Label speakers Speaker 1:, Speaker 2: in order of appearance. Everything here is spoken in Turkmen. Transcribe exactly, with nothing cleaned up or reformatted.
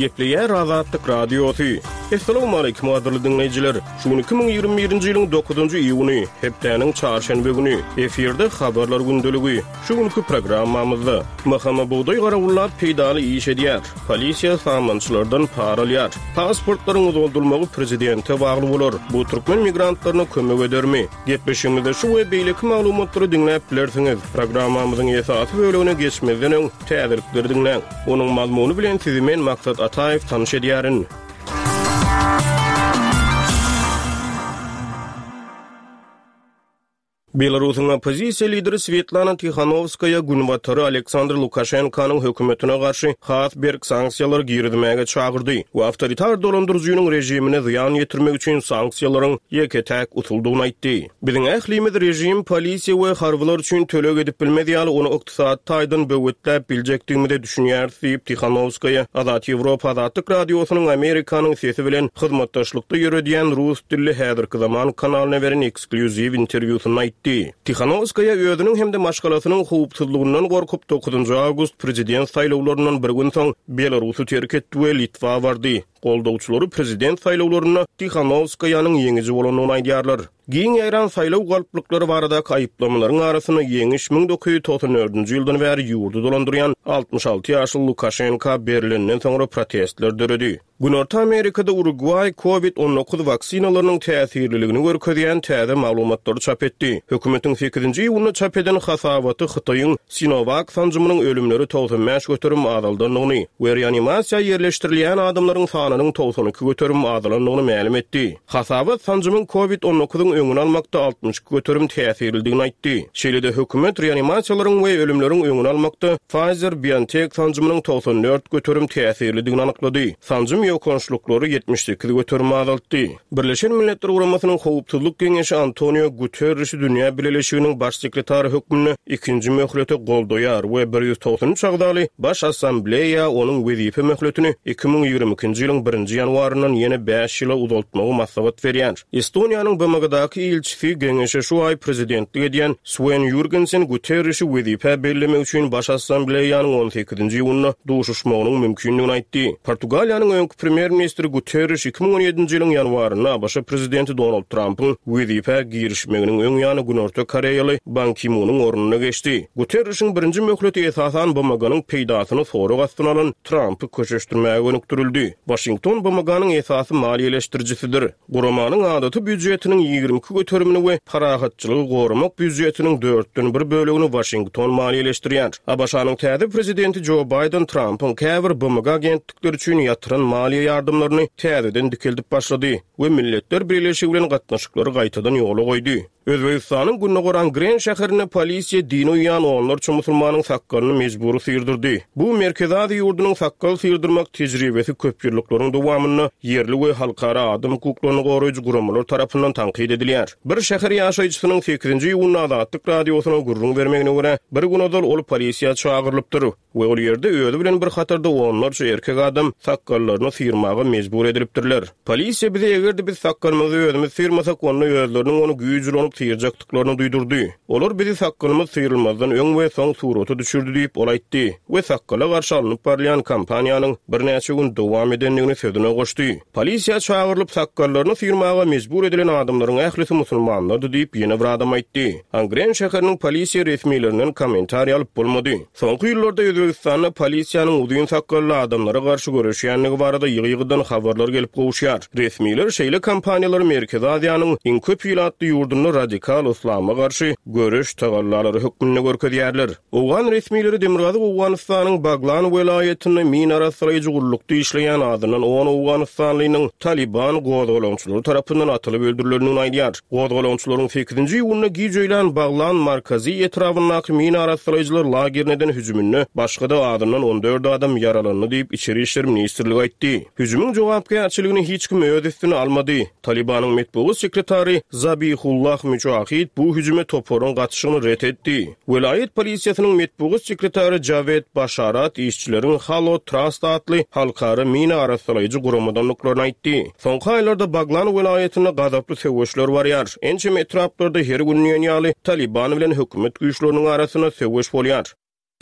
Speaker 1: Gepleýär Azatlyk Radiosy. Essalawmaleýkim gadyrly diňleýjiler. Şu gün iki müň ýigrimi birinji ýylyň dokuzynjy iýuny, hepdäniň çarşenbe güni. Efirde Habarlar gündeligi. Şu günki programmamyzda M H M bugdaý garawullap peýdaly iş edýär. Polisiýa samançylardan para alýar. Pasportlaryň uzaldylmagy prezidente bagly bolar. Bu türkmen migrantlaryna kömek edermi? Gepleşigimizde şu we beýleki maglumatlary diňläp bilersiňiz. Programmamyzyň esasy bölegine geçmezden öň täzelikleri diňläň. Onuň mazmuny bilen sizi men Maksat Ataýew tanyş edýärin. Belarusyň oppozisiýa lideri Svetlana Tikhanovskaya Günbatary Aleksandr Lukaşenkanyň hökümetine garşy has berk sanksiýalar girizmäge çagyrdy we awtoritar dolandyryjynyň režimine zyýan ýetirmek üçin sanksiýalaryň ýeke-täk usuldygyny aýtdy. Biziň ählimiz režim, polisiýa we harbylar üçin töleg edip bilmez ýaly ony ykdysady taýdan böwetläp biljekdigimize düşünýäris diýip Tikhanovskaya Azat Ýewropa Azatlyk Radiosynyň Amerikanyň sesi bilen hyzmatdaşlykda ýöredýän rus dilli häzirki zaman kanalyna beren eksklýuziw interwýusynda aýtdy. Tikhanovskaya özüniň hem-de maşgalasynyň howpsuzlygyndan gorkup dokuzynjy awgust prezident saýlawlaryndan bir gün soň Belarusy terk etdi we Litwa bardy. Goldawçylary prezident saýlawlarynda Tikhanovskayanyň ýeňiji bolandygyny aýdýarlar. Giň ýaýran saýlaw galplyklary baradaky aýyplamalaryň arasynda ýeňiş müň dokuz ýüz togsan dördünji ýyldan bäri ýurdy dolandyrýan altmyş alty ýaşly Lukaşenko berilenden soňra protestler döredi. Günorta Amerikada Uruguay COVID on dokuz waksinalarynyň täsirliligini görkezýän täze maglumatlary çap etdi. Hökümetiň sekizinji iýunda çap eden hasabaty Hytaýyň Sinovac sanjymynyň ölümleri togsan bäş göterim azaldandygyny we reanimasiýa ýerleşdirilýän adamlaryň sanynyň togsan iki göterim azalandygyny mälim etdi. Hasabat sanjymyň COVID on dokuzyň öňüni almakda altmyş iki göterim täsirlidigini aýtdy. Şeýle-de hökümet reanimasiýalaryň we ölümleriň öňüni almakda Pfizer-BioNTech sanjymynyň togsan dört göterim täsirlidigini anyklady. Sanjym ýokançlyklary ýetmiş sekiz göterim azaltdy. Birleşen Milletler Guramasynyň Howpsuzlyk Geňeşi Antonio Guterrişi Dünýä Bileleşiginiň baş sekretary hökmünde ikinji möhlete goldaýar we bir ýüz togsan üç agzaly Baş Assambleýa onuň wezipe möhletini iki müň ýigrimi ikinji ýylyň birinji ýanwaryndan ýene bäş ýyla uzaltmagy maslahat berýär. Estoniýanyň B M G-daky ilçisi Geňeşe şu aý prezidentlik edýän Swen Jürgensen Guterrişi wezipä bellemek üçin Baş Assambleýanyň on sekizinji iýunda duşuşmagynyň mümkindigini aýtdy. Portugaliýanyň öňki premýer-ministri Guterriş iki müň on ýedinji ýylyň ýanwarynda A B Ş prezidenti Donald Trumpyň wezipä girişmeginiň öň ýany Günorta Koreýaly Ban Ki-munyň ornuna geçdi. Guterrişiň birinji möhleti esasan B M G-nyň peýdasyny sorag astyna alan Trumpy köşeşdirmäge gönükdirildi. Washington B M G-nyň esasy maliýeleşdirijisidir. Guramanyň adaty býujetiniň ýigrimi iki göterimini we parahatçylygy goramak býujetiniň dörtden bir bölegini Washington maliýeleşdirýär. A B Ş-nyň täze prezidenti Joe Biden Trumpyň käbir B M G agentlikleri üçin ýatyran maliýe ýardamlaryny täzeden dikeldip başlady we Milletler Birleşigi bilen gatnaşyklary gaýtadan ýola goýdy. Özbegistanyň Gündogar Angren şäherinde polisiýa dini uýan onlarça musulmanyň sakgalyny mejbury syrdyrdy. Bu Merkezi Aziýa ýurdunyň sakkal syrdyrmak tejribesi köp ýyllyklaryň dowamynda ýerli we halkara adam hukuklaryny goraýjy guramalar tarapyndan tankyt edilýär. Bir şäher ýaşaýjysynyň sekizinji iýunda Azatlyk Radiosyna gürrüň bermegine görä, bir gün ozal ol polisiýa çagyrylypdyr we ol ýerde özi bilen bir hatarda onlarça erkek adam sakgallaryny syrmaga mejbur edilipdirler. Polisiýa bize eger-de biz sakgalymyzy özümiz syrmasak, onda özleriniň ony güýç ulanyp syrjakdyklaryny duýdurdy. Olar bizi sakgalymyz syrylmazdan öň we soň surata düşürdi diýip ol aýtdy we sakkala garşy alnyp barylýan kampaniýanyň birnäçe gün dowam edendigini sözüne goşdy. Polisiýa çagyrylyp sakgallaryny syrmaga mejbur edilen adamlaryň ählisi musulmanlardy diýip ýene bir adam aýtdy. Angren şäheriniň polisiýa resmilerinden kommentariý alyp bolmady. Soňky ýyllarda Özbegistanda polisiýanyň uzyn sakgally adamlara garşy göreşýändigi barada ýygy-ýygydan habarlar gelip gowuşýar. Resmiler şeýle kampaniýalary Merkezi Aziýanyň iň köp ilatly ýurdunda radikal islama garşy göreş tagallalary hökmünde görkezýärler. Owgan resmileri Demirgazyk Owganystanyň Baglan welaýatynda min arassalaýjy gullukda işleýän adyndan on Owganystanlynyň Taliban gozgalaňçylary tarapyndan atylyp öldürilendigini aýdýar. Gozgalaňçylaryň sekizinji iýunda giç öýlän Baglan Markazi etrabyndaky min arassalaýjylar lagerine eden hüjüminde başga da adyndan on dört adam ýaralandy diýip Içeri İşler Ministrligi aýtdy. Hüjümiň jogapkärçiligini hiç kim öz üstüne almady. Talibanyň metbugat sekretary Zabihullah Mücahid bu hüjüme toparyň gatyşygyny ret etdi. Welaýat polisiýasynyň metbugat sekretary Javed Başarat işçileriň Halo Trust atly halkara mina arassalaýjy guramadandyklaryny aýtdy. Soňky aýlarda Baglan welaýatynda gazaply söweşler barýar. Ençeme etraplarda her gün diýen ýaly Taliban bilen hökümet güýçleriniň arasynda söweş bolýar.